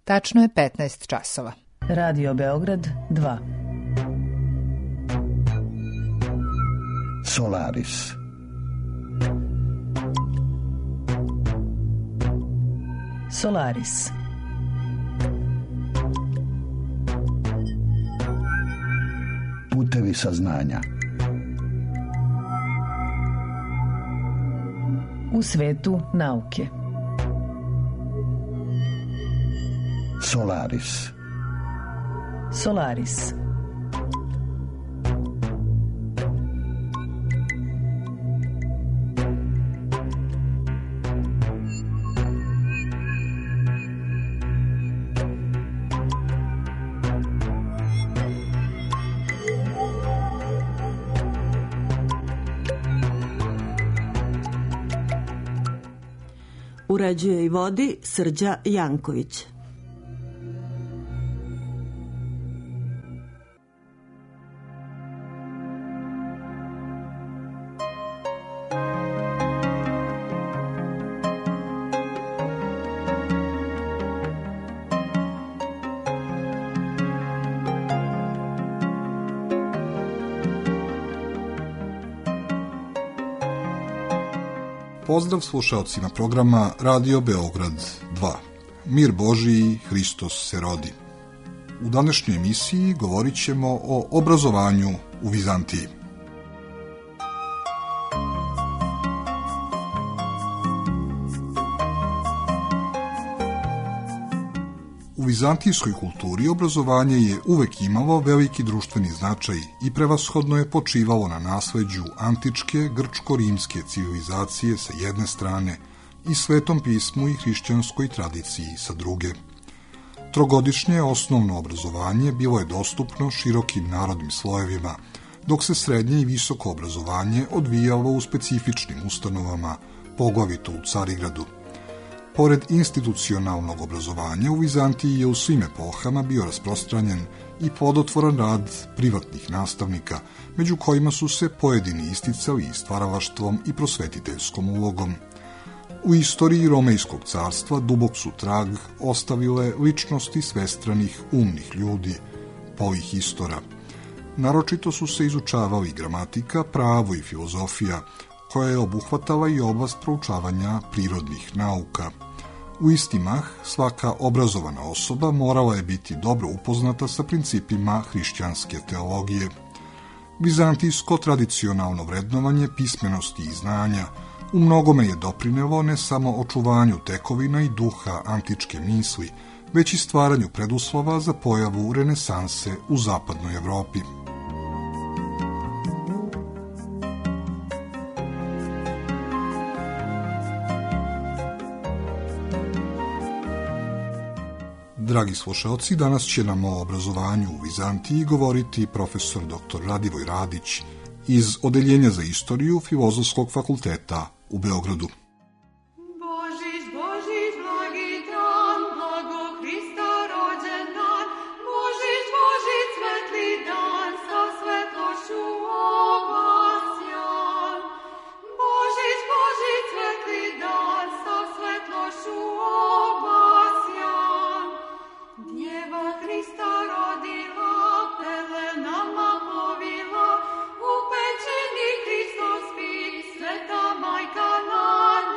Tačno je 15 časova. Radio Beograd 2. Solaris. Solaris. Putevi saznanja. U svetu nauke. Solaris. Solaris. Uređuje i vodi Srđa Janković. Pozdrav slušaocima programa Radio Beograd 2. Mir Božiji, Hristos se rodi. U današnjoj emisiji govorit ćemo o obrazovanju u Vizantiji. U vizantijskoj kulturi obrazovanje je uvek imalo veliki društveni značaj i prevashodno je počivalo na nasleđu antičke grčko-rimske civilizacije sa jedne strane i Svetom pismu i hrišćanskoj tradiciji sa druge. Trogodišnje osnovno obrazovanje bilo je dostupno širokim narodnim slojevima, dok se srednje i visoko obrazovanje odvijalo u specifičnim ustanovama, poglavito u Carigradu. Pored institucionalnog obrazovanja, u Vizantiji je u svim epohama bio rasprostranjen i plodotvoran rad privatnih nastavnika, među kojima su se pojedini isticali i stvaralaštvom i prosvetiteljskom ulogom. U istoriji Romejskog carstva dubok su trag ostavile ličnosti svestranih umnih ljudi, polihistora. Naročito su se izučavali gramatika, pravo i filozofija, koja je obuhvatala i oblast proučavanja prirodnih nauka. U isti mah, svaka obrazovana osoba morala je biti dobro upoznata sa principima hrišćanske teologije. Vizantijsko tradicionalno vrednovanje pismenosti i znanja u mnogome je doprinelo ne samo očuvanju tekovina i duha antičke misli, već i stvaranju preduslova za pojavu renesanse u zapadnoj Evropi. Dragi slušaoci, danas će nam o obrazovanju u Vizantiji govoriti profesor dr. Radivoj Radić iz Odeljenja za istoriju Filozofskog fakulteta u Beogradu. Majka na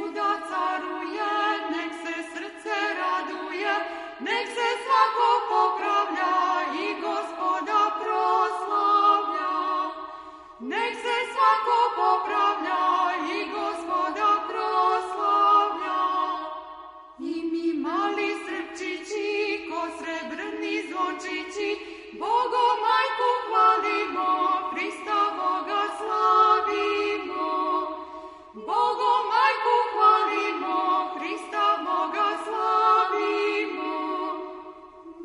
svuda caruje, nek se srce raduje, nek se svako popravlja i Gospoda proslavlja. Nek se svako popravlja i Gospoda proslavlja. I mi mali srpčići, ko srebrni zvončići, Bogo majku hvalimo, Hrista Boga slavimo. Bogo majku hvalimo, Hrista Boga slavimo.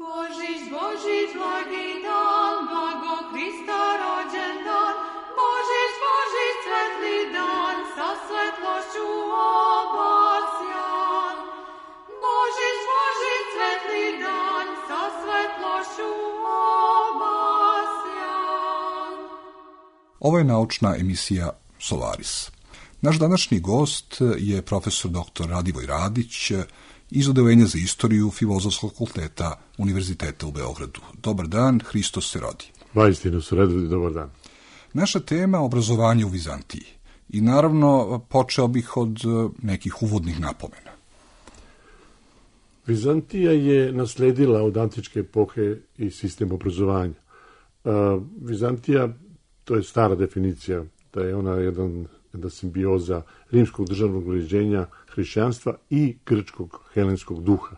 Božić, Božić, blagi dan, blago Hrista rođen dan. Božić, Božić, svetli dan, sa svetlošću obasjan. Božić, Božić, svetli dan, sa svetlošću obasjan. Ovo je naučna emisija Solaris. Naš današnji gost je profesor dr. Radivoj Radić iz Odeljenja za istoriju Filozofskog fakulteta Univerziteta u Beogradu. Dobar dan, Hristos se rodi. Vaistinu se rodi, dobar dan. Naša tema obrazovanje u Vizantiji. I naravno počeo bih od nekih uvodnih napomena. Vizantija je nasledila od antičke epohe i sistem obrazovanja. Vizantija, to je stara definicija, da je ona jedna simbioza rimskog državnog uređenja, hrišćanstva i grčkog helenskog duha.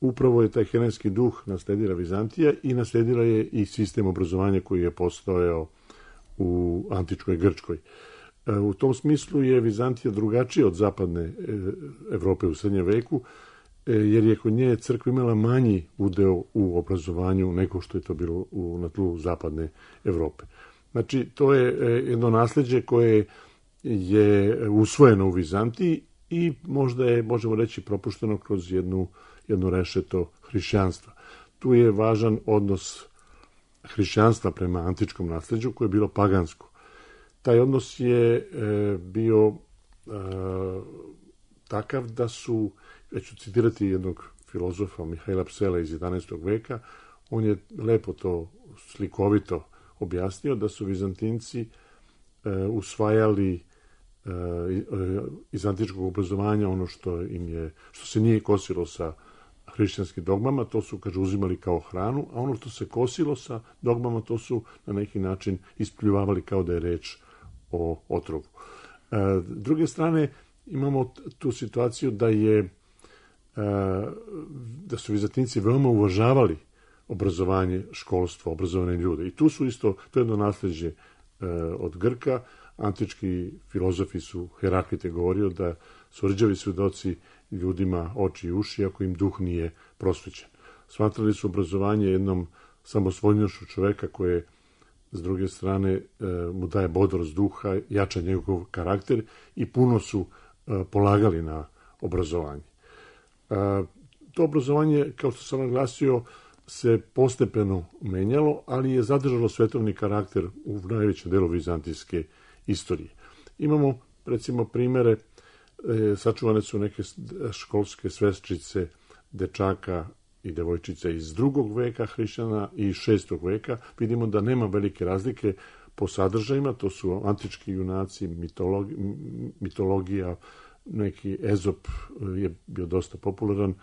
Upravo je taj helenski duh nasledila Vizantija i nasledila je i sistem obrazovanja koji je postojao u antičkoj Grčkoj. U tom smislu je Vizantija drugačija od zapadne Evrope u srednjem veku, jer je kod nje crkva imala manji udeo u obrazovanju nego što je to bilo na tlu zapadne Evrope. Znači, to je jedno nasleđe koje je usvojeno u Vizantiji i možda je, možemo reći, propušteno kroz jedno rešeto hrišćanstva. Tu je važan odnos hrišćanstva prema antičkom nasleđu koje je bilo pagansko. Taj odnos je bio takav da su, već ću citirati jednog filozofa Mihajla Psela iz 11. veka, on je lepo to slikovito objasnio da su Vizantinci usvajali iz antičkog obrazovanja ono što se nije kosilo sa hrišćanskim dogmama, to su, kaže, uzimali kao hranu, a ono što se kosilo sa dogmama, to su na neki način ispljuvavali kao da je reč o otrovu. S druge strane, imamo tu situaciju da su Vizantinci veoma uvažavali obrazovanje, školstvo, obrazovane ljude. I tu su isto, to je jedno nasleđe od Grka. Antički filozofi su, Heraklite govorio da su rđavi svedoci ljudima oči i uši ako im duh nije prosvećen. Smatrali su obrazovanje jednom samosvoljnošću čoveka koje, s druge strane, mu daje bodrost duha, jača njegov karakter i puno su polagali na obrazovanje. To obrazovanje, kao što sam naglasio, se postepeno menjalo, ali je zadržalo svetovni karakter u najvećem delu vizantijske istorije. Imamo, recimo, primere, sačuvane su neke školske sveščice dečaka i devojčica iz 2. veka hrišćana i 6. veka. Vidimo da nema velike razlike po sadržajima, to su antički junaci, mitologija, neki Ezop je bio dosta popularan.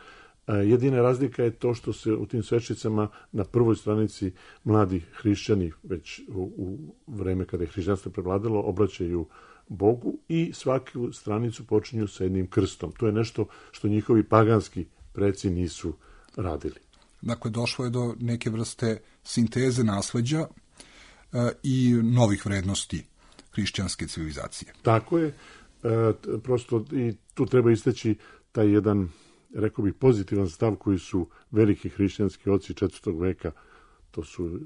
Jedina razlika je to što se u tim svečicama na prvoj stranici mladi hrišćani, već u vreme kada je hrišćanstvo prevladalo, obraćaju Bogu i svaku stranicu počinju sa jednim krstom. To je nešto što njihovi paganski preci nisu radili. Dakle, došlo je do neke vrste sinteze nasleđa i novih vrednosti hrišćanske civilizacije. Tako je. Prosto i tu treba istaći taj jedan, rekao bih, pozitivan stav koji su veliki hrišćanski oci 4. veka, to su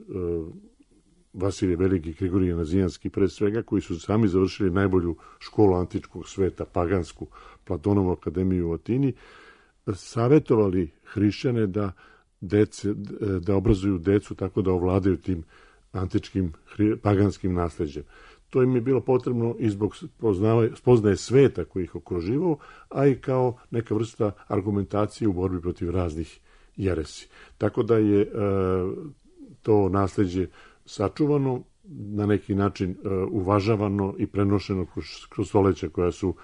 Vasilije Veliki i Grigorije Nazijanski pre svega, koji su sami završili najbolju školu antičkog sveta, pagansku, Platonovu akademiju u Atini, savjetovali hrišćane da obrazuju decu tako da ovladaju tim antičkim paganskim nasleđem. To im je bilo potrebno i zbog spoznaje sveta koji ih okruživao, a i kao neka vrsta argumentacije u borbi protiv raznih jeresi. Tako da je to nasleđe sačuvano, na neki način uvažavano i prenošeno kroz stoleća koja su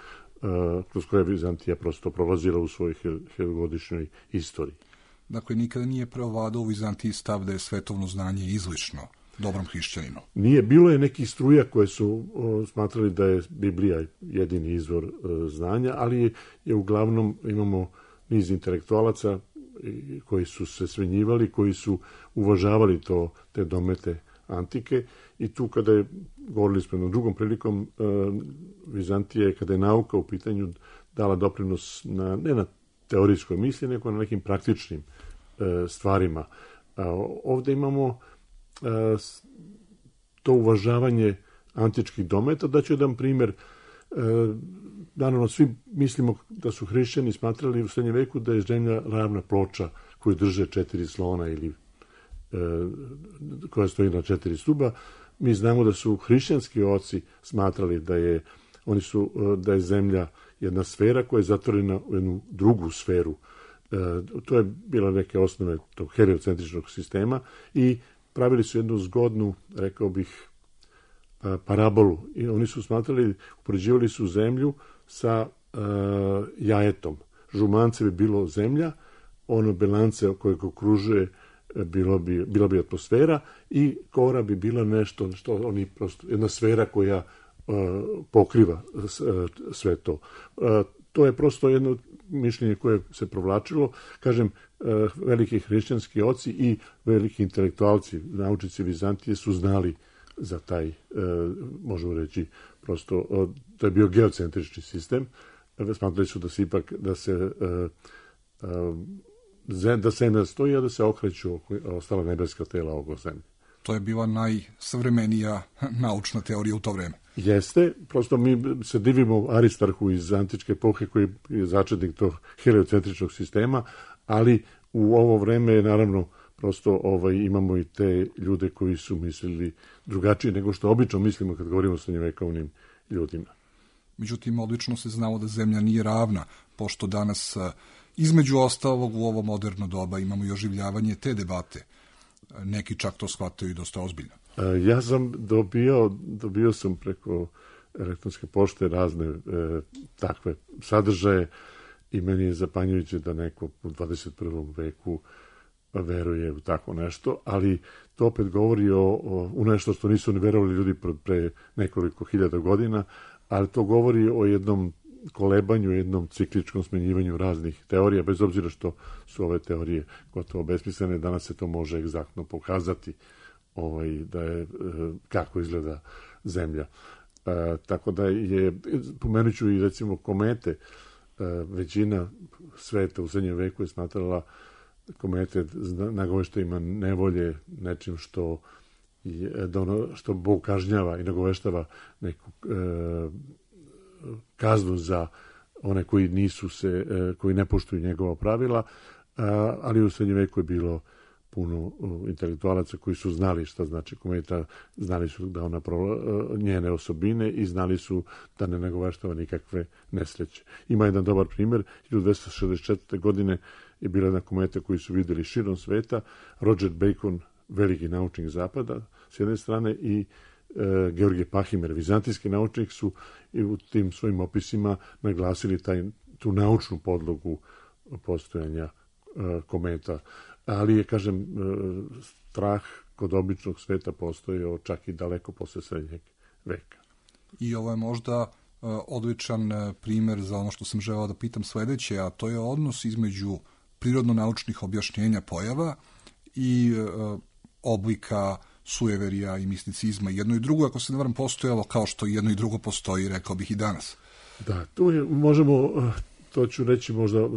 kroz koje je Vizantija prosto prolazila u svojoj hiljadugodišnjoj istoriji. Dakle, nikada nije preovladao u Vizantiji stav da je svetovno znanje izlišno dobrom hrišćaninu. Nije, bilo je nekih struja koje su smatrali da je Biblija jedini izvor znanja, ali je uglavnom imamo niz intelektualaca koji su se svenjivali, koji su uvažavali te domete antike i tu kada je, govorili smo jednom drugom prilikom, Vizantija, kada je nauka u pitanju, dala doprinos ne na teorijskoj misli, nego na nekim praktičnim stvarima. Ovde imamo to uvažavanje antičkih dometa. Daću jedan primjer. Naravno, svi mislimo da su hrišćani smatrali u srednjem veku da je zemlja ravna ploča koju drže 4 slona ili koja stoji na 4 stuba. Mi znamo da su hrišćanski oci smatrali da je zemlja jedna sfera koja je zatvorena u jednu drugu sferu. To je bila neke osnove tog heliocentričnog sistema i pravili su jednu zgodnu, rekao bih, parabolu. I oni su smatrali, upoređivali su zemlju sa jajetom. Žumance bi bilo zemlja, ono belance kojeg okružuje bila bi atmosfera i kora bi bila nešto što oni prosto, jedna sfera koja pokriva sve to. To je prosto jedno mišljenje koje se provlačilo. Kažem, veliki hrišćanski oci i veliki intelektualci, naučnici Vizantije su znali za taj, možemo reći, prosto, to je bio geocentrični sistem. Smatrali su da se ipak, da zemlja stoji, a da se okreću ostala nebeska tela oko zemlje. To je bila najsavremenija naučna teorija u to vreme. Jeste, prosto mi se divimo Aristarhu iz antičke epohe koji je začetnik tog heliocentričnog sistema, ali u ovo vreme je naravno prosto imamo i te ljude koji su mislili drugačije nego što obično mislimo kad govorimo o srednjevekovnim ljudima. Međutim, odlično se znalo da zemlja nije ravna, pošto danas između ostalog u ovo moderno doba imamo i oživljavanje te debate. Neki čak to shvataju i dosta ozbiljno. Ja sam dobio sam preko elektronske pošte razne takve sadržaje i meni je zapanjujuće da neko u 21. veku veruje u tako nešto, ali to opet govori u nešto što nisu ni verovali ljudi pre nekoliko hiljada godina, ali to govori o jednom kolebanju, jednom cikličkom smenjivanju raznih teorija, bez obzira što su ove teorije gotovo besmislene, danas se to može egzaktno pokazati da je kako izgleda zemlja. Tako da je, pomenut ću i recimo komete, većina sveta u srednjem veku je smatrala komete nagoveštajima nevolje, nečim što Bog kažnjava i nagoveštava neku kaznu za one koji ne poštuju njegova pravila, ali u srednjem veku je bilo puno intelektualaca koji su znali šta znači kometa, znali su da ona njene osobine i znali su da ne nagoveštava nikakve nesreće. Ima jedan dobar primjer, 1264. godine je bila jedna kometa koju su vidjeli širom sveta, Roger Bacon, veliki naučnik zapada, s jedne strane, i Georgije Pahimer, vizantijski naučnik, su i u tim svojim opisima naglasili tu naučnu podlogu postojanja kometa. Ali je, kažem, strah kod običnog sveta postojao čak i daleko posle srednjeg veka. I ovo je možda odličan primer za ono što sam želeo da pitam sledeće, a to je odnos između prirodno-naučnih objašnjenja pojava i oblika sujeverija i misticizma. Jedno i drugo, ako se ne varam, postojalo kao što jedno i drugo postoji, rekao bih i danas. Da, tu možemo, to ću reći možda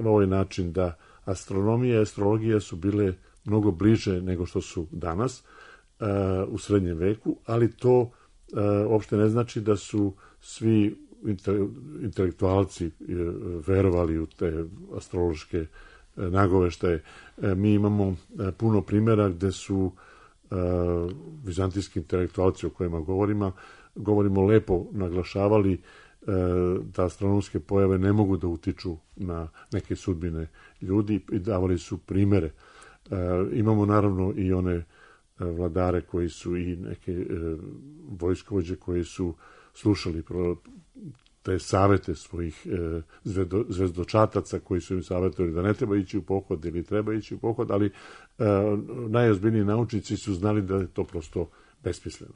na ovaj način, da astronomija i astrologija su bile mnogo bliže nego što su danas u srednjem veku, ali to uopšte ne znači da su svi intelektualci verovali u te astrološke nagoveštaje. Mi imamo puno primjera gde su vizantijski intelektualci o kojima govorimo lepo naglašavali da astronomske pojave ne mogu da utiču na neke sudbine ljudi i davali su primere. Imamo naravno i one vladare koji su i neke vojskovođe koji su slušali te savete svojih zvezdočataca koji su im savjetovali da ne treba ići u pohod ili treba ići u pohod, ali najozbiljniji naučnici su znali da je to prosto besmisleno.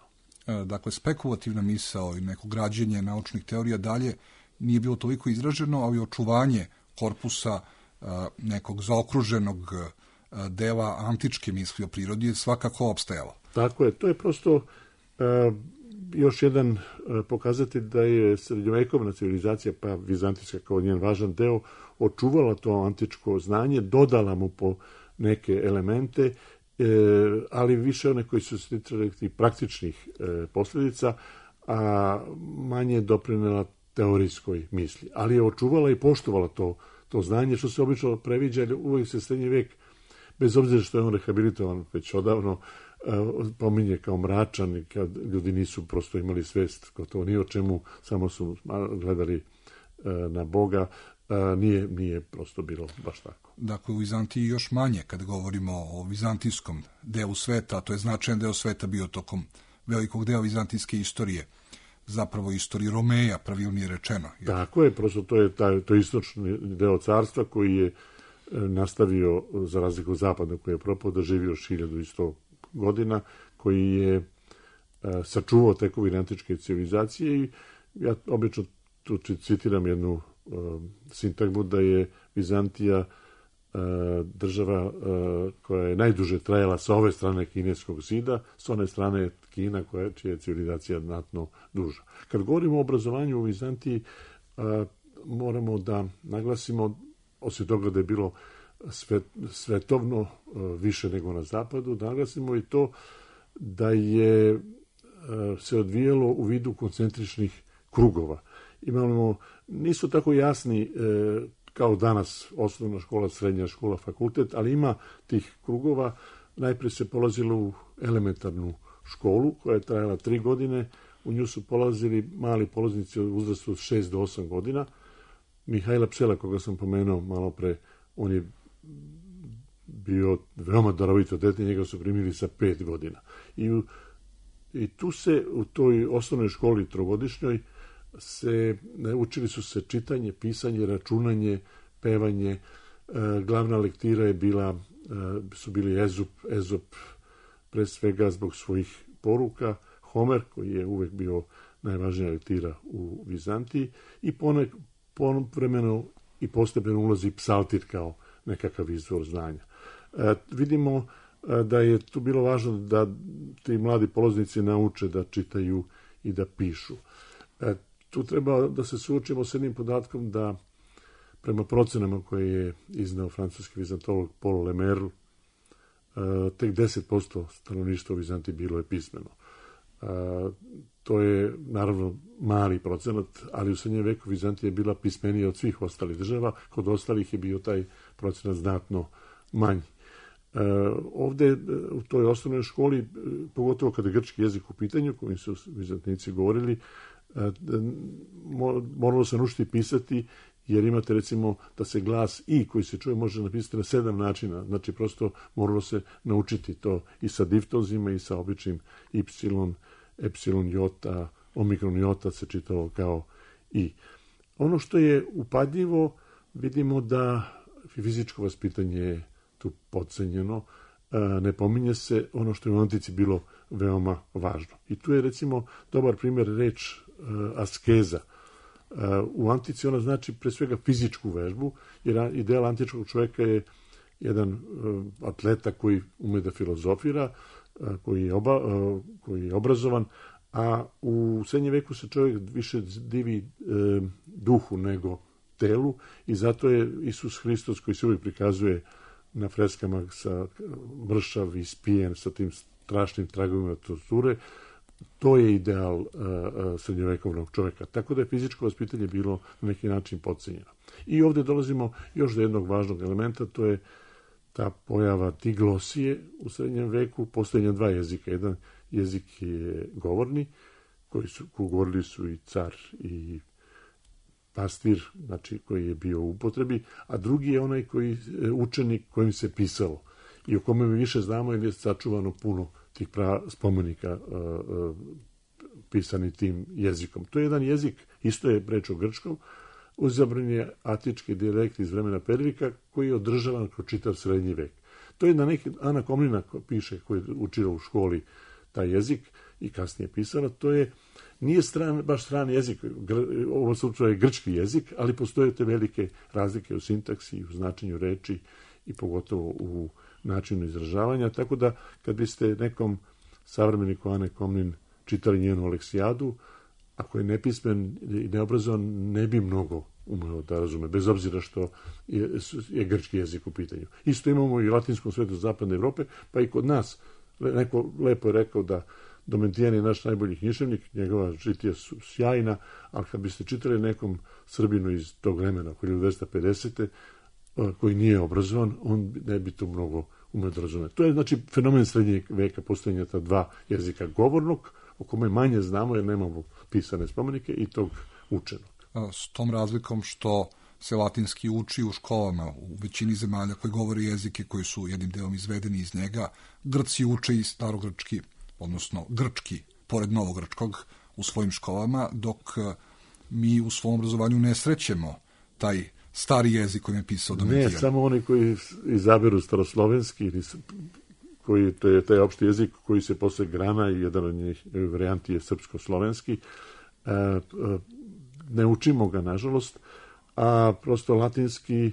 Dakle, spekulativna misao i neko građenje naučnih teorija dalje nije bilo toliko izraženo, ali očuvanje korpusa nekog zaokruženog dela antičke misli o prirodi je svakako opstajalo. Tako je, to je prosto još jedan pokazatelj da je srednjovekovna civilizacija, pa vizantijska kao njen važan deo, očuvala to antičko znanje, dodala mu po neke elemente, ali više one koji su se ticali tih praktičnih posljedica, a manje doprinela teorijskoj misli. Ali je očuvala i poštovala to znanje, što se obično previđa, jer uvijek se srednji vek, bez obzira što je on rehabilitovan već odavno, pominje kao mračan i kad ljudi nisu prosto imali svest gotovo ni o čemu, samo su gledali na Boga, nije prosto bilo baš tako. Dakle, u Vizantiji još manje kad govorimo o vizantijskom delu sveta, to je značajan deo sveta bio tokom velikog dela vizantijske istorije, zapravo istoriji Romeja, pravilnije rečeno. Tako je, prosto to je istočni deo carstva koji je nastavio, za razliku od zapadnog koji je propao, da živi još 1100 godina, koji je sačuvao tekovine antičke civilizacije i ja obično tu citiram jednu sintagmu da je Vizantija država koja je najduže trajala sa ove strane kineskog zida, s one strane je Kina čija je civilizacija znatno duža. Kad govorimo o obrazovanju u Vizantiji, moramo da naglasimo, osim toga da je bilo svetovno više nego na zapadu, da naglasimo i to da je se odvijalo u vidu koncentričnih krugova. Imamo, nisu tako jasni kao danas osnovna škola, srednja škola, fakultet, ali ima tih krugova. Najprije se polazilo u elementarnu školu koja je trajala 3 godine. U nju su polazili mali polaznici u uzrastu od 6 do 8 godina. Mihajla Psela, koga sam pomenuo malo pre, on je bio veoma darovito dete, njega su primili sa 5 godina. I tu se u toj osnovnoj školi trogodišnjoj učili su se čitanje, pisanje, računanje, pevanje. Glavna lektira je su bili Ezop pre svega zbog svojih poruka, Homer koji je uvek bio najvažnija lektira u Vizantiji i povremeno i postepeno ulazi psaltir kao nekakav izvor znanja. Vidimo da je tu bilo važno da ti mladi polaznici nauče da čitaju i da pišu. Tu treba da se suočimo s jednim podatkom da prema procenama koje je iznao francuski vizantolog Paul Lemerle, tek 10% stanovništva u Vizantiji bilo je pismeno. To je naravno mali procenat, ali u srednjem veku Vizantija je bila pismenija od svih ostalih država, kod ostalih je bio taj procenat znatno manji. Ovde u toj osnovnoj školi, pogotovo kada je grčki jezik u pitanju, kojim su Vizantijci govorili, moralo se naučiti pisati, jer imate recimo da se glas i koji se čuje može napisati na 7 načina, znači prosto moralo se naučiti to i sa diftozima i sa običnim y, epsilon, jota, omikron jota se čitalo kao i. Ono što je upadljivo, vidimo da fizičko vaspitanje je tu podcenjeno, ne pominje se ono što je u antici bilo veoma važno. I tu je recimo dobar primjer reč askeza. U antici ona znači pre svega fizičku vežbu, jer ideal antičkog čovjeka je jedan atleta koji ume da filozofira, koji je obrazovan, a u srednjem veku se čovjek više divi duhu nego telu i zato je Isus Hristos, koji se uvijek prikazuje na freskama sa mršav i spijen sa tim strašnim tragovima torture, to je ideal srednjovekovnog čovjeka. Tako da je fizičko vaspitanje bilo na neki način podcenjeno. I ovdje dolazimo još do jednog važnog elementa, to je ta pojava diglosije u srednjem veku, postojanja 2 jezika. Jedan jezik je govorni, koji govorili su i car i pastir, znači koji je bio u upotrebi, a drugi je onaj učenik kojim se pisalo i o kome mi više znamo jer je sačuvano puno tih spomenika pisani tim jezikom. To je jedan jezik isto je reč o grčkom, uzabran je atički dijalekt iz vremena Pervika koji je održavan kroz čitav srednji vek. To je na neki, Ana Komnina piše, koja je učila u školi taj jezik i kasnije pisala, to je, nije baš strani jezik, ovo slučaju je grčki jezik, ali postoje te velike razlike u sintaksi, u značenju reči i pogotovo u načinu izražavanja, tako da kad biste nekom savremeniku Ane Komnin čitali njenu Aleksijadu, ako je nepismen i neobrazovan, ne bi mnogo umeo da razume, bez obzira što je grčki jezik u pitanju. Isto imamo i u latinskom svetu zapadne Evrope, pa i kod nas. Neko lepo je rekao da Domitijan je naš najbolji književnik, njegova žitija su sjajna, ali kad biste čitali nekom Srbinu iz tog vremena, oko 1250. koji nije obrazovan, on ne bi to mnogo umeo da razume. To je znači fenomen srednjeg veka, postojanja ta dva jezika govornog, o kome manje znamo jer nemamo pisane spomenike, i tog učenog. S tom razlikom što se latinski uči u školama u većini zemalja koji govore jezike koji su jednim delom izvedeni iz njega, Grci uče i starogrčki, odnosno grčki, pored novogrčkog, u svojim školama, dok mi u svom obrazovanju ne srećemo taj stari jezik koji je pisao Domitijan. Ne, samo oni koji izaberu staroslovenski, koji to je taj opšti jezik koji se posle grana i jedan od njih varijanti je srpsko-slovenski. Ne učimo ga, nažalost, a prosto latinski,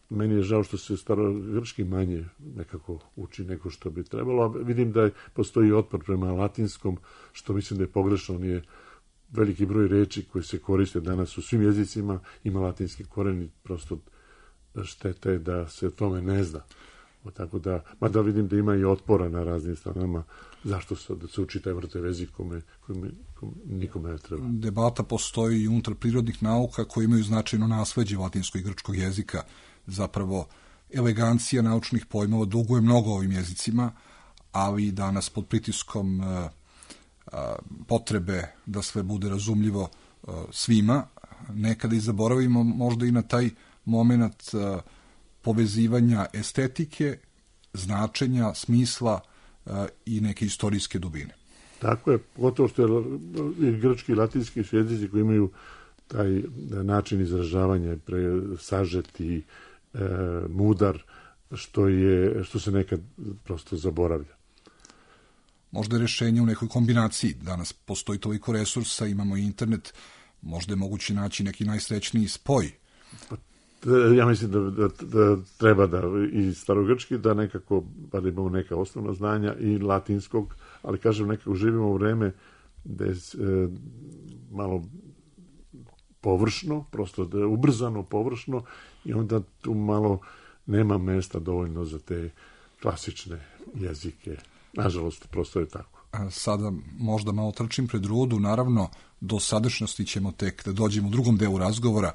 meni je žao što se starogrčki manje nekako uči nego što bi trebalo, a vidim da postoji otpor prema latinskom, što mislim da je pogrešno, on je veliki broj reči koji se koriste danas u svim jezicima, ima latinski koren i prosto šteta je da se o tome ne zna. Tako da, mada vidim da ima i otpora na raznim stranama, zašto da se uči taj vrtev jezik kome nikome ne treba. Debata postoji i unutar prirodnih nauka koji imaju značajno nasleđe latinskog i grčkog jezika. Zapravo, elegancija naučnih pojmova duguje mnogo ovim jezicima, ali danas pod pritiskom potrebe da sve bude razumljivo svima, nekada i zaboravimo možda i na taj moment povezivanja estetike, značenja, smisla i neke istorijske dubine. Tako je, gotovo što je grčki i latinski jezici koji imaju taj način izražavanja sažet i mudar, što se nekad prosto zaboravlja. Možda je rešenje u nekoj kombinaciji. Danas postoji toliko resursa, imamo i internet, možda je moguće naći neki najsrećniji spoj. Ja mislim da treba da i starogrčki, da nekako, pa da imamo neka osnovna znanja i latinskog, ali kažem, nekako živimo u vreme da je malo površno, prosto da je ubrzano površno i onda tu malo nema mesta dovoljno za te klasične jezike. Nažalost, prosto je tako. Sada možda malo trčim pred rudu, naravno, do sadašnjosti ćemo tek da dođemo u drugom delu razgovora.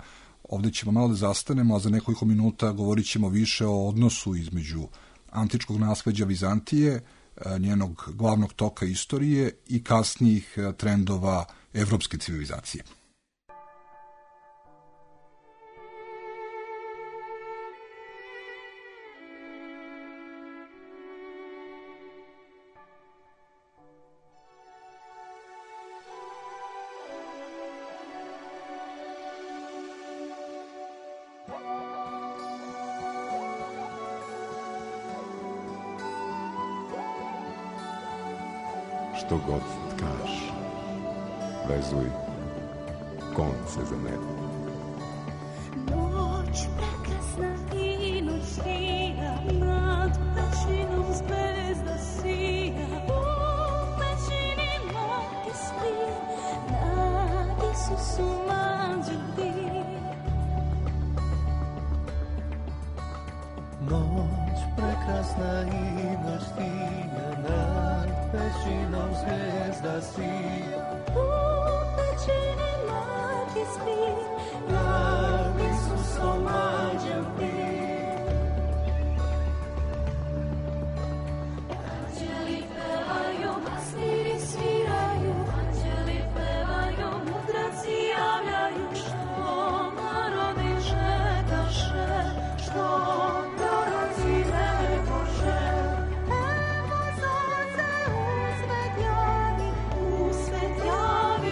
Ovdje ćemo malo da zastanemo, a za nekoliko minuta govorit ćemo više o odnosu između antičkog nasleđa Vizantije, njenog glavnog toka istorije i kasnijih trendova evropske civilizacije. Što god tkaš, vezuj konce za mene. Noć prekrasna i noć sija, nad pećinom zvezda sija. U pećini mati spi, na Isusu mađu bdi. Noć prekrasna i noć sija, nad pećinom zvezda sija. U pećini mati spi, nad Isusom mađem bdi. Anđeli pevaju, pastiri sviraju, anđeli pevaju, mudraci javljaju, što narodi čekaše, što proroci rekoše. Evo sunce usvet javi,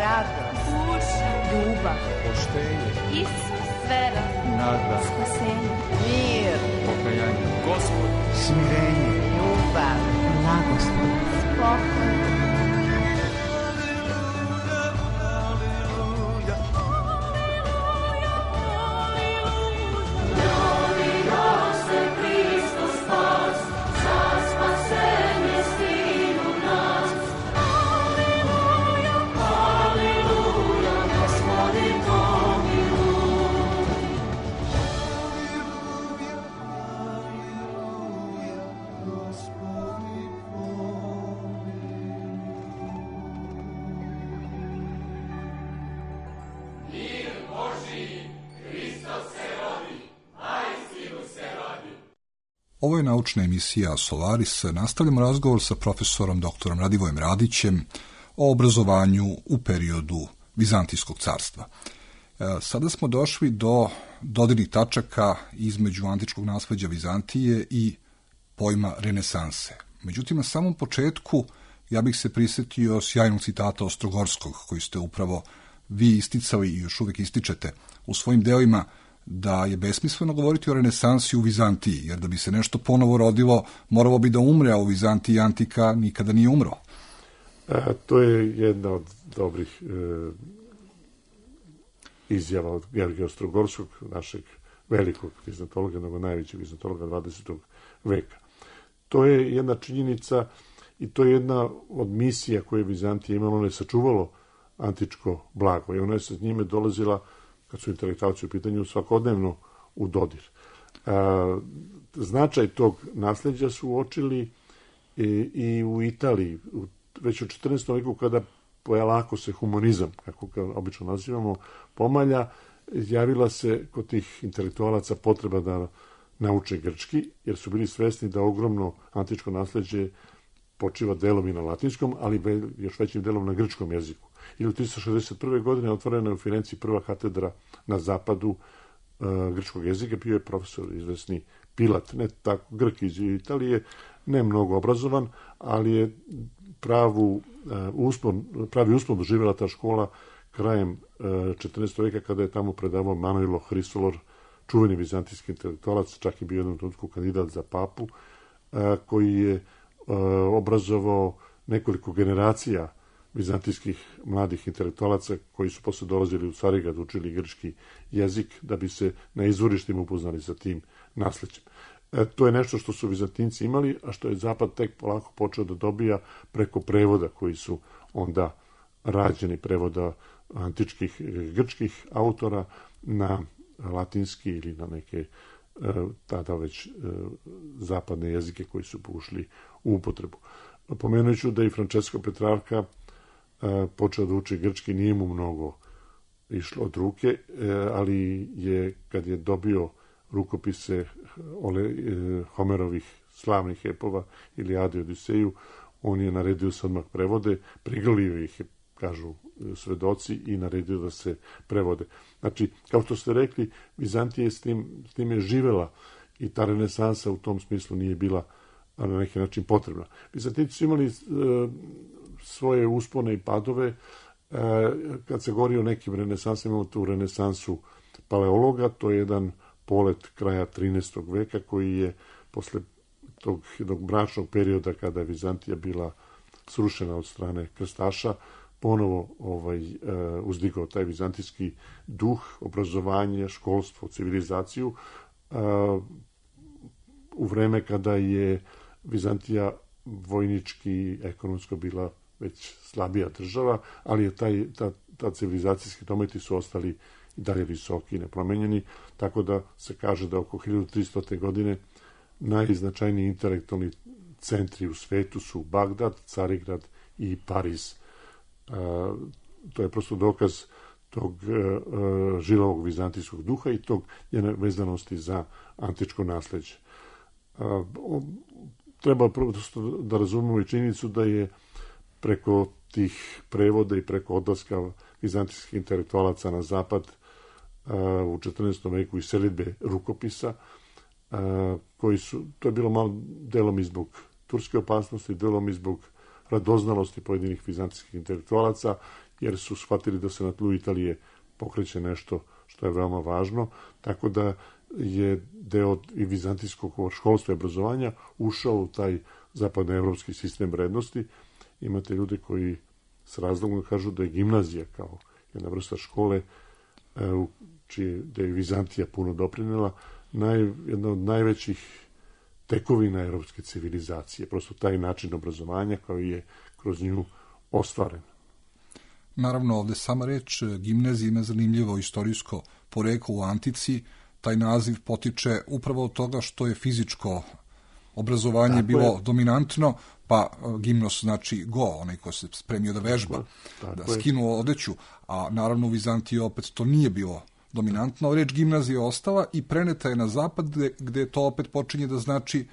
radost, duša, ljubav, poštenje, Isus, vera, nada, spasenje, mir, pokajanje, Gospod, smirenje, ljubav, blagoslov, spokoj. Ovo je naučna emisija Solaris. Nastavljamo razgovor sa profesorom dr. Radivojem Radićem o obrazovanju u periodu Vizantijskog carstva. Sada smo došli do dodirnih tačaka između antičkog nasleđa Vizantije i pojma renesanse. Međutim, na samom početku ja bih se prisjetio sjajnog citata Ostrogorskog, koji ste upravo vi isticali i još uvijek ističete u svojim delima, da je besmisleno govoriti o renesansi u Vizantiji, jer da bi se nešto ponovo rodilo, moralo bi da umre, a u Vizantiji antika nikada nije umro. To je jedna od dobrih izjava od Georgija Ostrogorskog, našeg velikog vizantologa, nego najvećeg vizantologa 20. veka. To je jedna činjenica i to je jedna od misija koje je Vizantija imala, ono je sačuvalo antičko blago i ona je sa njime dolazila, kad su intelektualci u pitanju, svakodnevno u dodir. Značaj tog nasljeđa su uočili i u Italiji, već u 14. veku, kada polako se humanizam, kako ga obično nazivamo, pomalja, javila se kod tih intelektualaca potreba da nauče grčki, jer su bili svesni da ogromno antičko nasljeđe počiva delom i na latinskom, ali još većim delom na grčkom jeziku. I u 361. godine otvorena je u Firenci prva katedra na zapadu grčkog jezika. Bio je profesor izvesni Pilat, ne tako Grk iz Italije, ne mnogo obrazovan, ali je pravi uspon doživjela ta škola krajem 14. veka, kada je tamo predavao Manojlo Hrisolor, čuveni vizantijski intelektualac, čak je bio jednom trenutku kandidat za papu, koji je obrazovao nekoliko generacija vizantijskih mladih intelektualaca koji su posle dolazili u Carigrad, učili grčki jezik da bi se na izvorištima upoznali sa tim nasleđem. To je nešto što su Vizantinci imali, a što je Zapad tek polako počeo da dobija preko prevoda koji su onda rađeni, prevoda antičkih grčkih autora na latinski ili na neke tada već zapadne jezike koji su ušli u upotrebu. Pomenut ću da i Francesco Petrarca počeo da uči grčki, nije mu mnogo išlo od ruke, ali je, kad je dobio rukopise Homerovih slavnih epova, Ilijadu i Odiseju, on je naredio se odmah prevode, prigrlio ih, kažu svedoci, i naredio da se prevode. Znači, kao što ste rekli, Vizantija s tim je živela i ta renesansa u tom smislu nije bila na neki način potrebna. Vizantinci su imali svoje uspone i padove. Kad se govori o nekim renesansama, imamo tu renesansu paleologa, to je jedan polet kraja 13. veka koji je posle tog jednog mračnog perioda kada je Vizantija bila srušena od strane krstaša, ponovo uzdigao taj vizantijski duh, obrazovanje, školstvo, civilizaciju, u vreme kada je Vizantija vojnički, ekonomsko bila već slabija država, ali je ta civilizacijski dometi su ostali i dalje visoki i nepromenjeni, tako da se kaže da oko 1300. godine najznačajniji intelektualni centri u svetu su Bagdad, Carigrad i Pariz. To je prosto dokaz tog žilavog vizantijskog duha i tog njene vezanosti za antičko nasleđe. Treba prosto da razumemo i činjenicu da je preko tih prevoda i preko odlaska vizantijskih intelektualaca na zapad u 14. veku i selidbe rukopisa, koji su, to je bilo malo delom i zbog turske opasnosti, delom i zbog radoznalosti pojedinih vizantijskih intelektualaca jer su shvatili da se na tlu Italije pokreće nešto što je veoma važno, tako da je deo i vizantijskog školstva i obrazovanja ušao u taj zapadnoevropski sistem vrednosti. Imate ljude koji s razlogom kažu da je gimnazija kao jedna vrsta škole da je Vizantija puno doprinela, jedna od najvećih tekovina evropske civilizacije. Prosto taj način obrazovanja koji je kroz nju ostvaren. Naravno, ovde sama reč gimnazija ima zanimljivo istorijsko poreklo u antici. Taj naziv potiče upravo od toga što je fizičko obrazovanje bilo dominantno, pa gimnos znači go, onaj ko se spremio da vežba, da skinuo odeću, a naravno u Vizantiji opet to nije bilo dominantno. Reč gimnazija je ostala i preneta je na zapad, gde to opet počinje da znači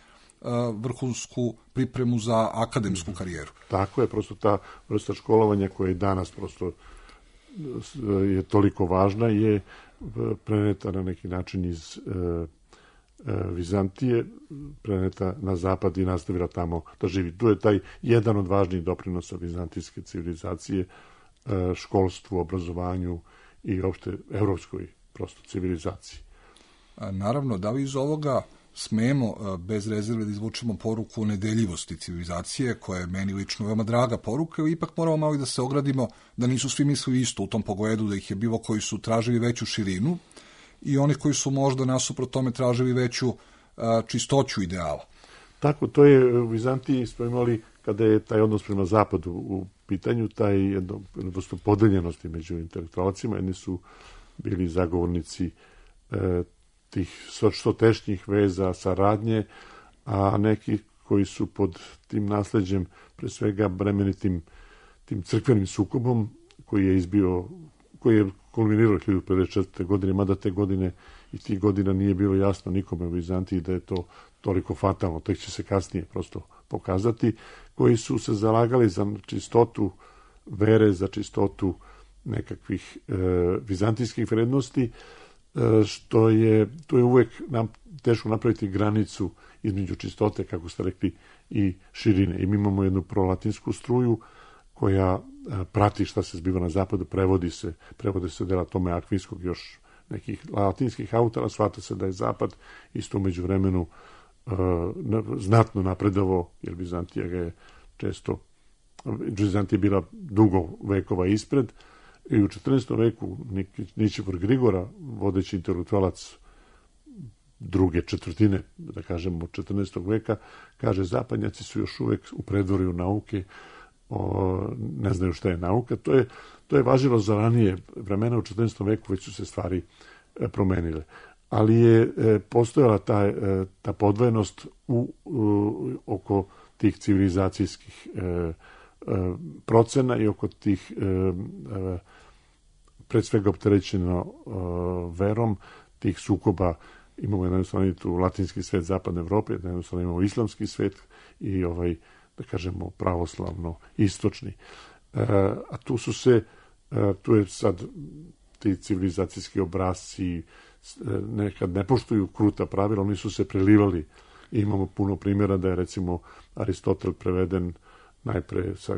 vrhunsku pripremu za akademsku karijeru. Tako je, prosto ta vrsta školovanja koja je danas prosto je toliko važna, je preneta na neki način iz Vizantije, preneta na zapad i nastavila tamo da živi. Tu je taj jedan od važnijih doprinosa vizantijske civilizacije, školstvu, obrazovanju i uopšte evropskoj prosto civilizaciji. Naravno, da li iz ovoga smemo bez rezerve da izvučemo poruku o nedeljivosti civilizacije, koja je meni lično veoma draga poruka, ili ipak moramo malo da se ogradimo da nisu svi mislili isto u tom pogledu, da ih je bilo koji su tražili veću širinu i oni koji su možda nasuprot tome tražili veću čistoću ideala. Tako, to je u Vizantiji smo imali, kada je taj odnos prema zapadu u pitanju, taj jednostavno podeljenosti među intelektualcima. Jedni su bili zagovornici tih što tešnjih veza, saradnje, a neki koji su pod tim nasleđem, pre svega bremenitim tim crkvenim sukobom, koji je kulminirao 1954. godine, mada te godine i tih godina nije bilo jasno nikome u Vizantiji da je to toliko fatalno, tek će se kasnije prosto pokazati, koji su se zalagali za čistotu vere, za čistotu nekakvih vizantijskih vrednosti, što je, tu je uvek teško napraviti granicu između čistote, kako ste rekli, i širine. I mi imamo jednu prolatinsku struju koja prati šta se zbiva na zapadu, prevode se dela Tome Akvinskog, još nekih latinskih autora, shvata se da je zapad isto umeđu vremenu znatno napredovao, jer Vizantija je bila dugo vekova ispred, i u 14. veku Ničifor Grigora, vodeći intelektualac druge četvrtine, da kažemo, 14. veka, kaže zapadnjaci su još uvek u predvorju nauke, ne znaju šta je nauka. To je važilo za ranije vremena, u 14. veku već su se stvari promenile. Ali je postojala ta podvojenost oko tih civilizacijskih procena i oko tih pred svega opterećeno verom, tih sukoba. Imamo jednostavno tu latinski svet zapadne Evrope, jednostavno imamo islamski svet i da kažemo pravoslavno istočni. A tu je sad ti civilizacijski obrazci nekad ne poštuju kruta pravila, oni su se prelivali. I imamo puno primjera da je recimo Aristotel preveden najpre sa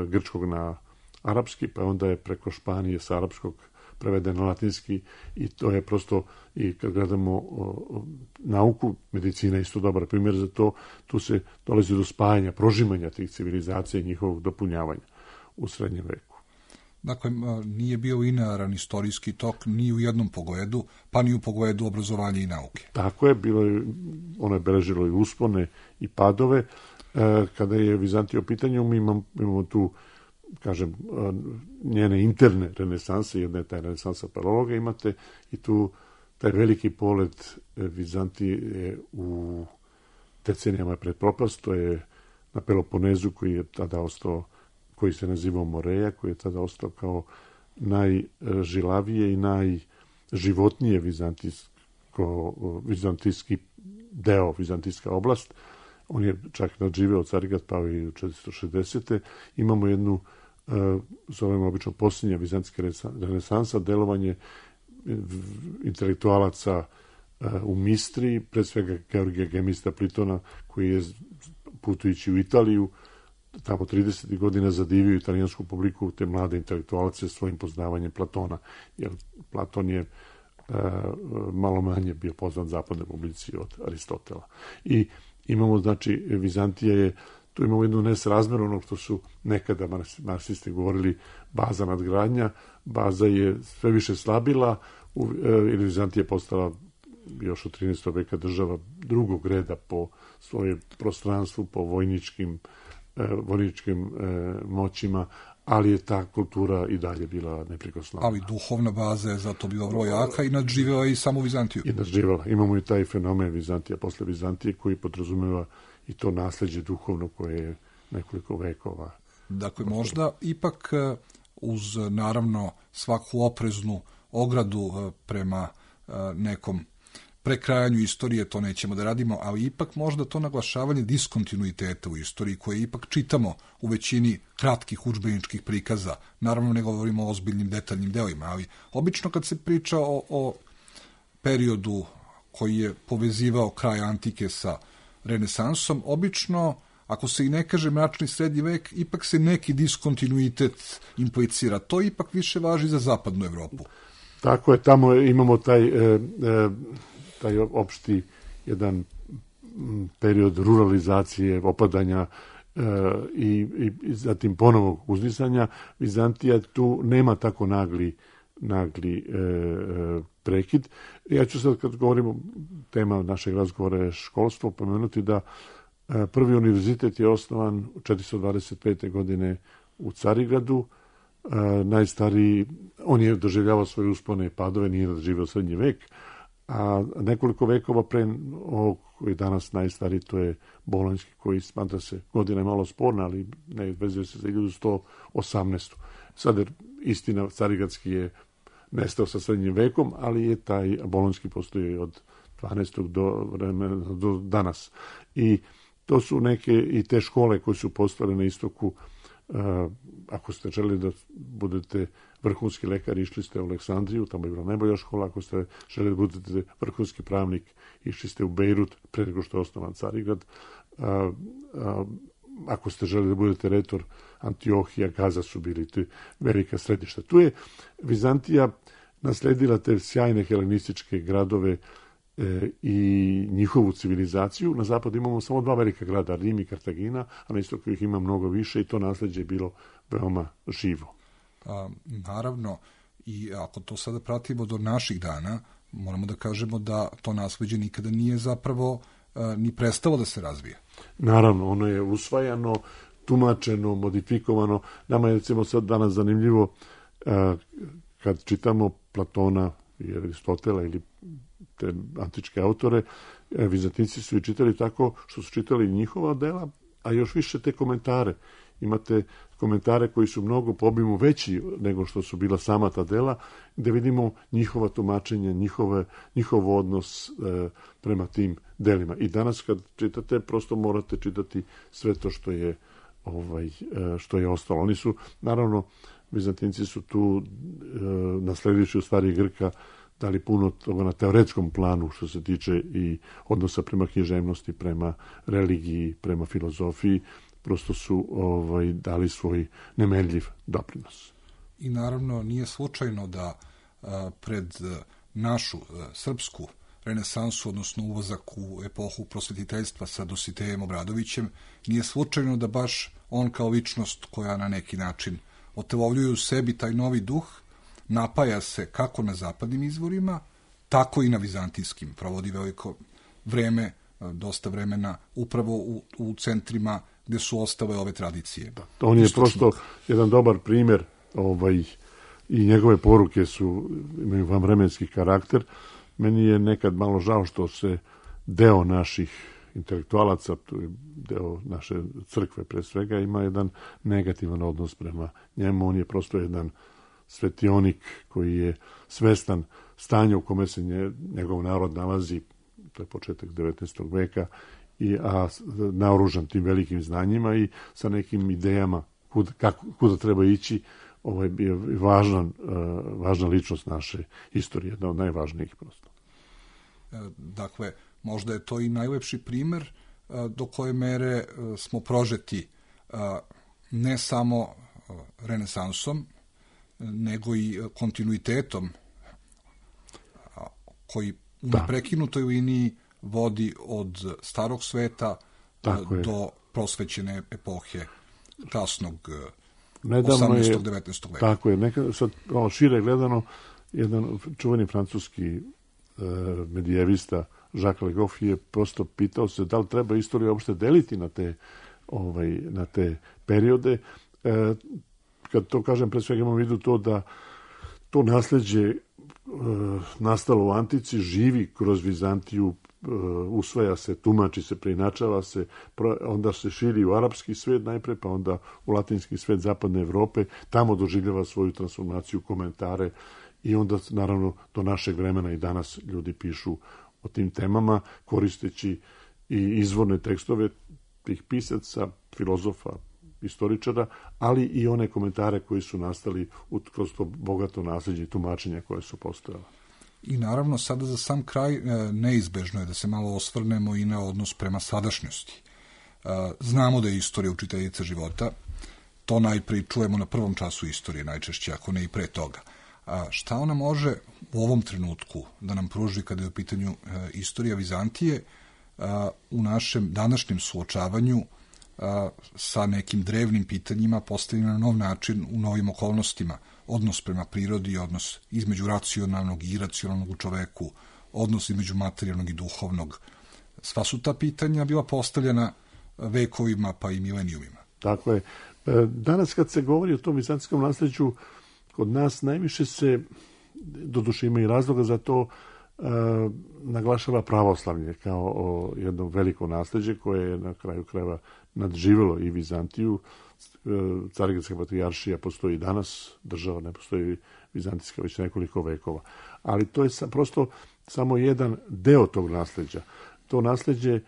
grčkog na arapski, pa onda je preko Španije sa arapskog preveden na latinski, i to je prosto, i kad gledamo nauku, medicina je isto dobar primjer za to, tu se dolazi do spajanja, prožimanja tih civilizacija i njihovog dopunjavanja u srednjem veku. Dakle, nije bio linearan istorijski tok ni u jednom pogledu, pa ni u pogledu obrazovanja i nauke. Tako je, ono je beležilo i uspone i padove. Kada je Vizantija u pitanju, mi imamo tu, kažem, njene interne renesanse, jedna je taj renesansa paraloga, imate i tu taj veliki polet Vizantije u decenijama pred propast, to je na Peloponezu, koji je tada ostao, koji se nazivao Moreja, koji je tada ostao kao najžilavije i najživotnije vizantijski deo, vizantijska oblast. On je čak nadživeo Carigrad, pao i u 460. Imamo jednu, zovemo obično posljednja vizantijska renesansa, delovanje intelektualaca u Mistriji, pred svega Georgija Gemista Plitona, koji je putujući u Italiju tamo 30. godina zadivio italijansku publiku, te mlade intelektualce svojim poznavanjem Platona, jer Platon je malo manje bio poznat zapadnoj publici od Aristotela. I imamo, znači, Vizantija je, tu imamo jednu nesrazmeru onog što su nekada marksisti govorili baza nadgradnja, baza je sve više slabila, ili Vizantija je postala još od 13. veka država drugog reda po svojem prostranstvu, po vojničkim moćima, ali je ta kultura i dalje bila neprikosnovena. Ali duhovna baza je zato bila vrlo jaka i nadživjela i samu Vizantiju. I nadživjela. Imamo i taj fenomen Vizantija posle Vizantije koji podrazumeva i to nasleđe duhovno koje je nekoliko vekova. Dakle, možda ipak uz naravno svaku opreznu ogradu prema nekom prekrajanju istorije, to nećemo da radimo, ali ipak možda to naglašavanje diskontinuiteta u istoriji koje ipak čitamo u većini kratkih udžbeničkih prikaza. Naravno ne govorimo o ozbiljnim detaljnim delima, ali obično kad se priča o periodu koji je povezivao kraj antike sa renesansom, obično, ako se i ne kaže mračni srednji vek, ipak se neki diskontinuitet implicira. To ipak više važi za zapadnu Evropu. Tako je, tamo imamo taj opšti jedan period ruralizacije, opadanja i zatim ponovog uzdisanja. Vizantija tu nema tako nagli prekid. Ja ću sad, kad govorimo, tema našeg razgovora je školstvo, pomenuti da prvi univerzitet je osnovan 425. godine u Carigradu. Najstariji, on je doživljavao svoje uspone i padove, nije doživio srednji vek, a nekoliko vekova pre ovog koji je danas najstariji, to je Bolonjski, koji smatra se, godina je malo sporna, ali ne vezuje se za 1118. Sad je istina, Carigradski je nestao sa srednjim vekom, ali je taj Bolonjski postoji od 12. do danas. I to su neke i te škole koje su postale na istoku. Ako ste želeli da budete vrhunski lekar, išli ste u Aleksandriju, tamo je bila najbolja škola. Ako ste želeli da budete vrhunski pravnik, išli ste u Bejrut, pre nego što je osnovan Carigrad. Ako ste želeli da budete retor, Antiohija, Gaza su bili velika središta. Tu je Vizantija nasledila te sjajne helenističke gradove i njihovu civilizaciju. Na zapadu imamo samo dva velika grada, Rim i Kartagina, a na istoku ih ima mnogo više i to nasleđe je bilo veoma živo. Naravno, i ako to sada pratimo do naših dana, moramo da kažemo da to nasleđe nikada nije zapravo ni prestalo da se razvija. Naravno, ono je usvajano, tumačeno, modifikovano. Nama je, recimo, sad danas zanimljivo kad čitamo Platona i Aristotela ili te antičke autore, Vizantinci su i čitali tako što su čitali njihova dela, a još više te komentare. Imate komentare koji su mnogo po obimu veći nego što su bila sama ta dela, gde vidimo njihova tumačenja, njihov odnos prema tim delima. I danas kad čitate, prosto morate čitati sve to što je ostalo. Oni su, naravno, Vizantinci su tu nasledivši u stvari Grka dali puno toga na teoretskom planu što se tiče i odnosa prema književnosti, prema religiji, prema filozofiji. Prosto su dali svoj nemerljiv doprinos. I naravno nije slučajno da pred našu srpsku renesansu, odnosno ulazak u epohu prosvetiteljstva sa Dositejem Obradovićem, nije slučajno da baš on kao ličnost koja na neki način otelovljuje u sebi taj novi duh, napaja se kako na zapadnim izvorima, tako i na vizantijskim. Provodi veliko vreme, dosta vremena upravo u centrima gde su ostale ove tradicije. Da, on je prosto jedan dobar primer i njegove poruke imaju vanvremenski karakter. Meni je nekad malo žao što se deo naših intelektualaca, deo naše crkve pre svega, ima jedan negativan odnos prema njemu. On je prosto jedan svetionik koji je svestan stanja u kome se njegov narod nalazi, to je početak 19. veka, a naoružan tim velikim znanjima i sa nekim idejama kuda treba ići. Ovo je bio važna ličnost naše istorije, jedna od najvažnijih prosto. Dakle, možda je to i najlepši primer do koje mere smo prožeti ne samo renesansom, nego i kontinuitetom koji u neprekinutoj liniji vodi od starog sveta do prosvećene epohe kasnog 18. 19. veka. Tako je. Sad, šire gledano, jedan čuveni francuski medijevista Jacques Le Goff je prosto pitao se da li treba istoriju uopšte deliti na te periode. Kad to kažem, pre svega imam u vidu to da to nasleđe nastalo u antici živi kroz Vizantiju, usvaja se, tumači se, preinačava se, onda se širi u arapski svet najpre, pa onda u latinski svet zapadne Evrope, tamo doživljava svoju transformaciju, komentare i onda naravno do našeg vremena i danas ljudi pišu o tim temama koristeći i izvorne tekstove tih pisaca, filozofa, istoričara, ali i one komentare koji su nastali kroz to bogato nasleđe i tumačenja koje su postojala. I naravno, sada za sam kraj neizbežno je da se malo osvrnemo i na odnos prema sadašnjosti. Znamo da je istorija učiteljica života, to najprej čujemo na prvom času istorije najčešće, ako ne i pre toga. Šta ona može u ovom trenutku da nam pruži kada je u pitanju istorija Vizantije u našem današnjem suočavanju sa nekim drevnim pitanjima postavljena na nov način u novim okolnostima, odnos prema prirodi, odnos između racionalnog i iracionalnog u čoveku, odnos između materijalnog i duhovnog. Sva su ta pitanja bila postavljena vekovima pa i milenijumima. Tako je. Danas kad se govori o tom vizantijskom nasleđu, kod nas najviše se, doduše ima i razloga za to, naglašava pravoslavlje kao jedno veliko nasleđe koje je na kraju krajeva nadživjelo i Vizantiju. Carigradska patrijaršija postoji i danas, država ne postoji vizantijska već nekoliko vekova. Ali to je prosto samo jedan deo tog nasleđa. To nasleđe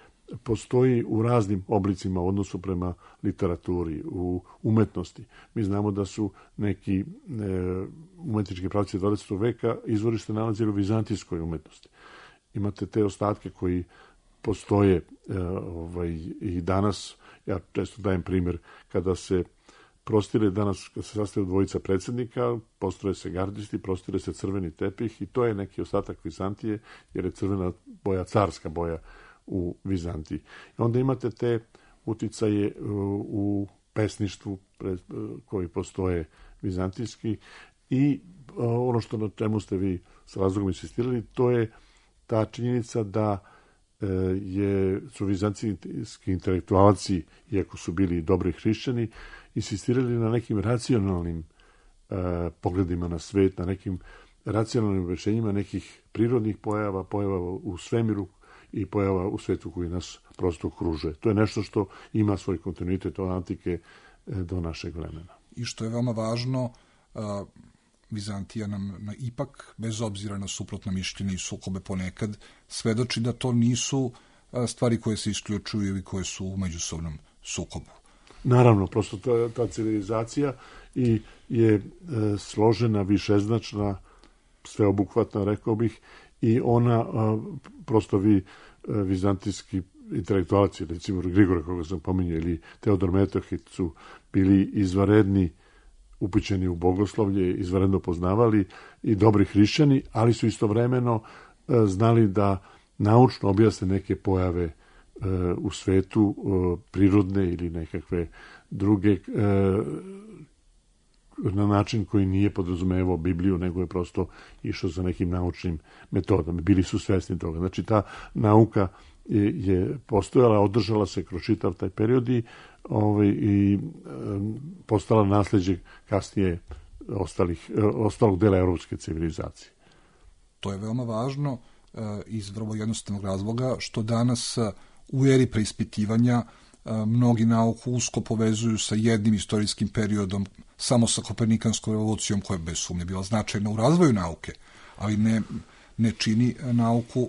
postoji u raznim oblicima u odnosu prema literaturi, u umetnosti. Mi znamo da su neki umetnički pravci 20. veka izvorište nalazili u vizantijskoj umetnosti. Imate te ostatke koji postoje i danas. Ja često dajem primjer kada se prostire danas, kada se sastaju dvojica predsjednika, postroje se gardisti, prostire se crveni tepih i to je neki ostatak Vizantije, jer je crvena boja carska boja u Vizantiji. I onda imate te uticaje u pesništvu koji postoje vizantijski i ono što na čemu ste vi s razlogom insistirali, to je ta činjenica da su vizantijski intelektualci, iako su bili dobri hrišćani, insistirali na nekim racionalnim pogledima na svet, na nekim racionalnim objašnjenjima nekih prirodnih pojava u svemiru i pojava u svetu koji nas prosto okružuje. To je nešto što ima svoj kontinuitet od antike do našeg vremena. I što je veoma važno, Vizantija nam ipak, bez obzira na suprotna mišljenja i sukobe ponekad, svedoči da to nisu stvari koje se isključuju ili koje su u međusobnom sukobu. Naravno, prosto ta civilizacija je složena, višeznačna, sveobuhvatna, rekao bih, i ona, prosto vizantijski intelektualci, recimo Grigore, koga sam pominjao, ili Teodor Metohit su bili izvanredni, upućeni u bogoslovlje, izvanredno poznavali i dobri hrišćani, ali su istovremeno znali da naučno objasne neke pojave u svetu, prirodne ili nekakve druge, na način koji nije podrazumevao Bibliju, nego je prosto išao za nekim naučnim metodama. Bili su svesni toga. Znači, ta nauka je postojala, održala se kroz čitav taj period i postala nasleđe kasnije ostalog dela europske civilizacije. To je veoma važno iz vrlo jednostavnog razloga što danas u eri preispitivanja mnogi nauku usko povezuju sa jednim istorijskim periodom, samo sa Kopernikanskom revolucijom koja je bez sumnje bila značajna u razvoju nauke, ali ne čini nauku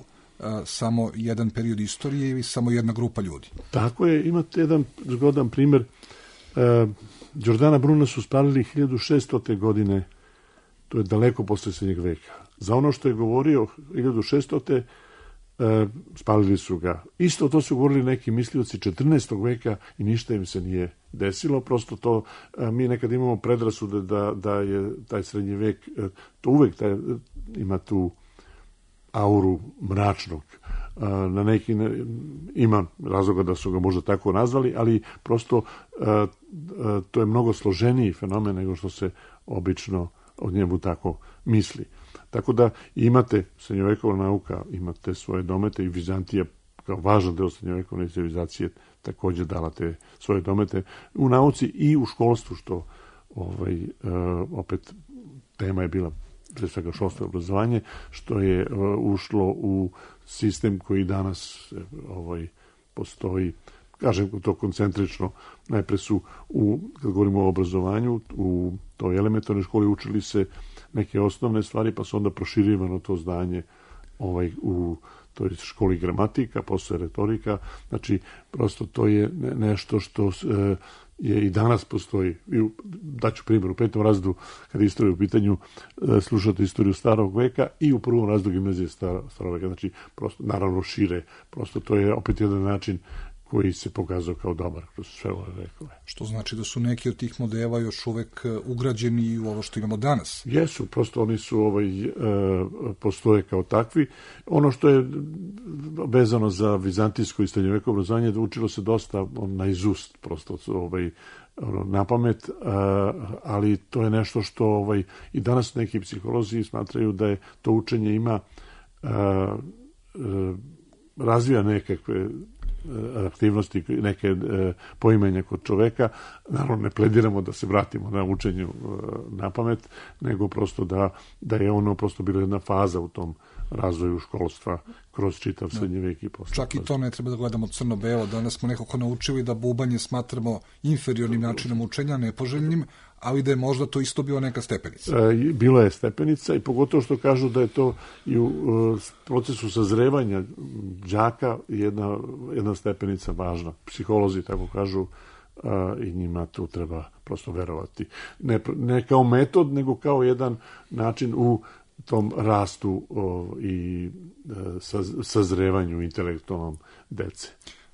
samo jedan period istorije ili samo jedna grupa ljudi. Tako je, imate jedan zgodan primjer. Giordana Bruna su spalili 1600. godine, to je daleko posle srednjeg veka. Za ono što je govorio 1600. spalili su ga. Isto to su govorili neki mislioci 14. veka i ništa im se nije desilo, prosto to, mi nekad imamo predrasude da je taj srednji vek, to uvek ima tu auru mračnog. Na neki ima razloga da su ga možda tako nazvali, ali prosto to je mnogo složeniji fenomen nego što se obično od njemu tako misli. Tako da imate srednjovekovna nauka, imate svoje domete i Vizantija kao važan deo srednjovekovne civilizacije takođe dala te svoje domete u nauci i u školstvu, što opet tema je bila pre svega školstvo i obrazovanje, što je ušlo u sistem koji danas postoji, kažem to koncentrično, najpre su, kad govorimo o obrazovanju, u toj elementarnoj školi učili se neke osnovne stvari, pa su onda proširivano to zdanje u toj školi gramatika, posle retorika, znači prosto to je nešto što je i danas postoji. Daću primjer, u 5. razredu, kada je istorija u pitanju, slušate istoriju starog veka i u 1. razredu gimnazije starog veka, znači prosto, naravno šire, prosto to je opet jedan način koji se pokazao kao dobar kroz sve ove vekove. Što znači da su neki od tih modela još uvek ugrađeni u ovo što imamo danas? Jesu, prosto oni su postoje kao takvi. Ono što je vezano za vizantijsko i srednjovekovno obrazovanje, učilo se dosta na izust, prosto na pamet, ali to je nešto što i danas neki psiholozi smatraju da je to učenje ima razvija nekakve aktivnosti, neke poimenja kod čoveka. Naravno, ne plediramo da se vratimo na učenju na pamet, nego prosto da je ono prosto bila jedna faza u tom razvoju školstva kroz čitav srednji vek i posle. Čak i to ne treba da gledamo crno-belo. Danas smo nekako naučili da bubanje smatramo inferiornim načinom učenja, nepoželjnim, ali da je možda to isto bila neka stepenica. Bila je stepenica i pogotovo što kažu da je to i u procesu sazrevanja đaka jedna stepenica važna. Psiholozi tako kažu i njima tu treba prosto verovati. Ne kao metod, nego kao jedan način u tom rastu i sazrevanju intelektualnom dece.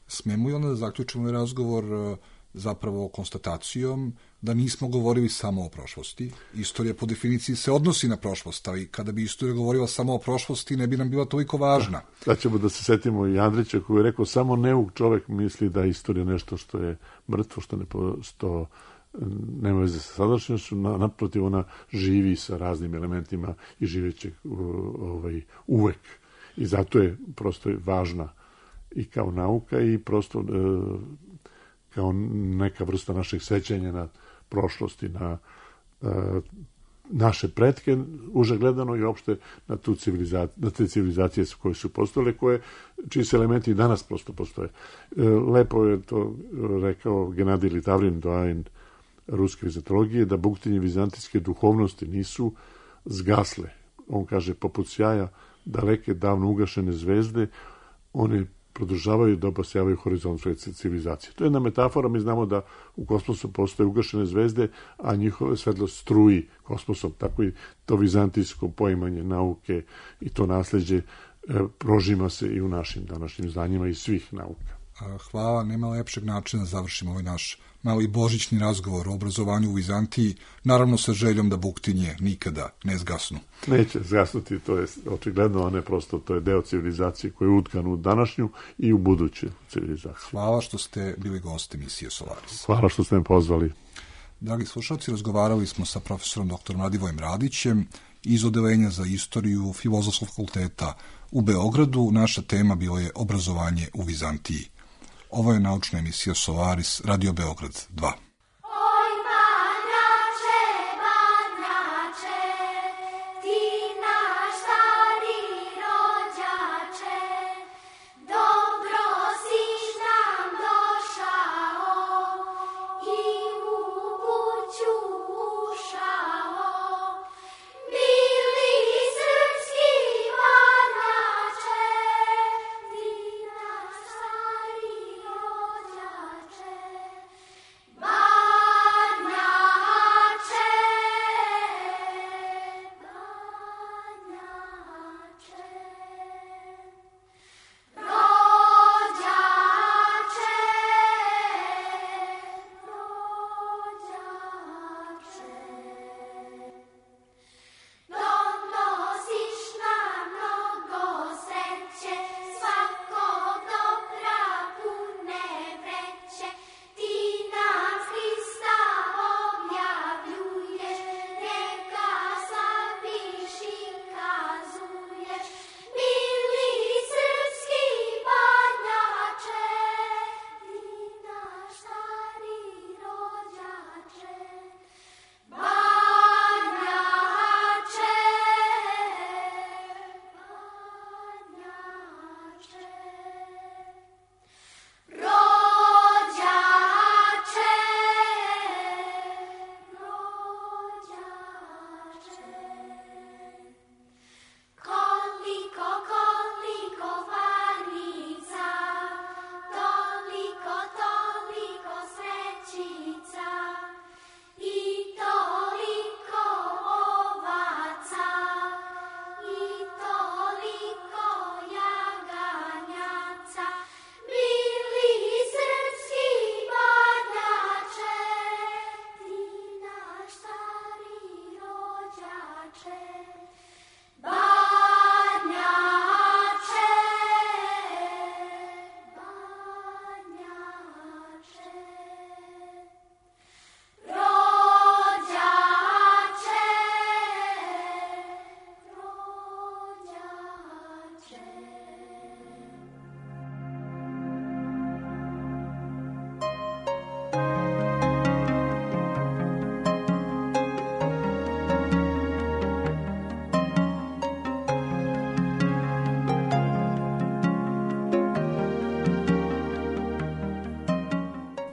Smemo i onda da zaključimo razgovor zapravo konstatacijom da nismo govorili samo o prošlosti. Istorija po definiciji se odnosi na prošlost, ali kada bi istorija govorila samo o prošlosti, ne bi nam bila toliko važna. Da ćemo da se setimo i Andrića koji je rekao, samo neuk čovek misli da je istorija nešto što je mrtvo, što nema veze sa sadašnjošću, naprotiv ona živi sa raznim elementima i živeće uvek. I zato je prosto važna i kao nauka i prosto kao neka vrsta našeg sećanja na prošlosti, na naše pretke, uže gledano i opšte na te civilizacije koje su postojale, čiji se elementi i danas prosto postoje. Lepo je to rekao Genadij Litavrin, doajen ruske vizantologije, da buktinje vizantijske duhovnosti nisu zgasle. On kaže, poput sjaja daleke, davno ugašene zvezde, one produžavaju da obasjavaju horizont civilizacije. To je jedna metafora, mi znamo da u kosmosu postoje ugašene zvezde, a njihove svetlost struji kosmosom, tako i to vizantijsko poimanje nauke i to nasleđe prožima se i u našim današnjim znanjima i svih nauka. Hvala, nema lepšeg načina da završimo ovaj naš mali božićni razgovor o obrazovanju u Vizantiji, naravno sa željom da buktinje nikada ne zgasnu. Neće zgasnuti, to je očigledno, a ne prosto, to je deo civilizacije koji je utkan u današnju i u buduću civilizaciju. Hvala što ste bili gosti emisije Solaris. Hvala što ste me pozvali. Dragi slušalci, razgovarali smo sa profesorom dr. Radivojem Radićem iz Odeljenja za istoriju Filozofskog fakulteta u Beogradu. Naša tema bilo je obrazovanje u Vizantiji. Ovo je naučna emisija Solaris, Radio Beograd 2. Bye.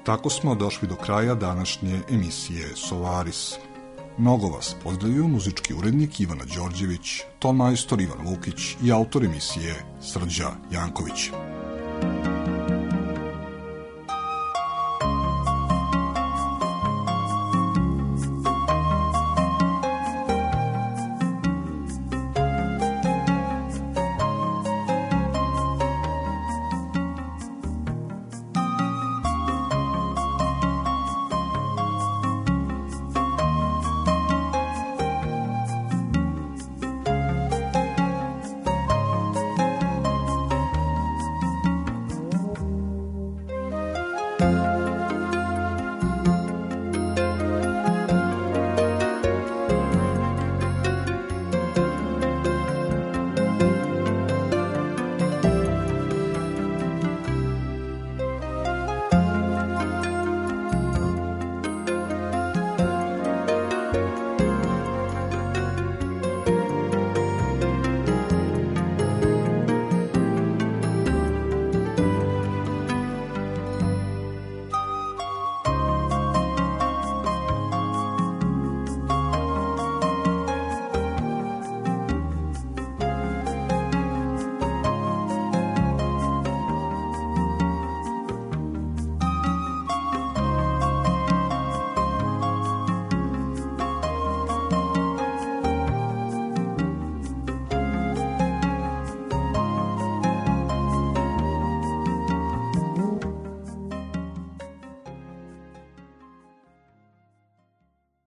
Tako smo došli do kraja današnje emisije Solaris. Mnogo vas pozdravio muzički urednik Ivana Đorđević, ton majstor Ivan Vukić i autor emisije Srđa Janković.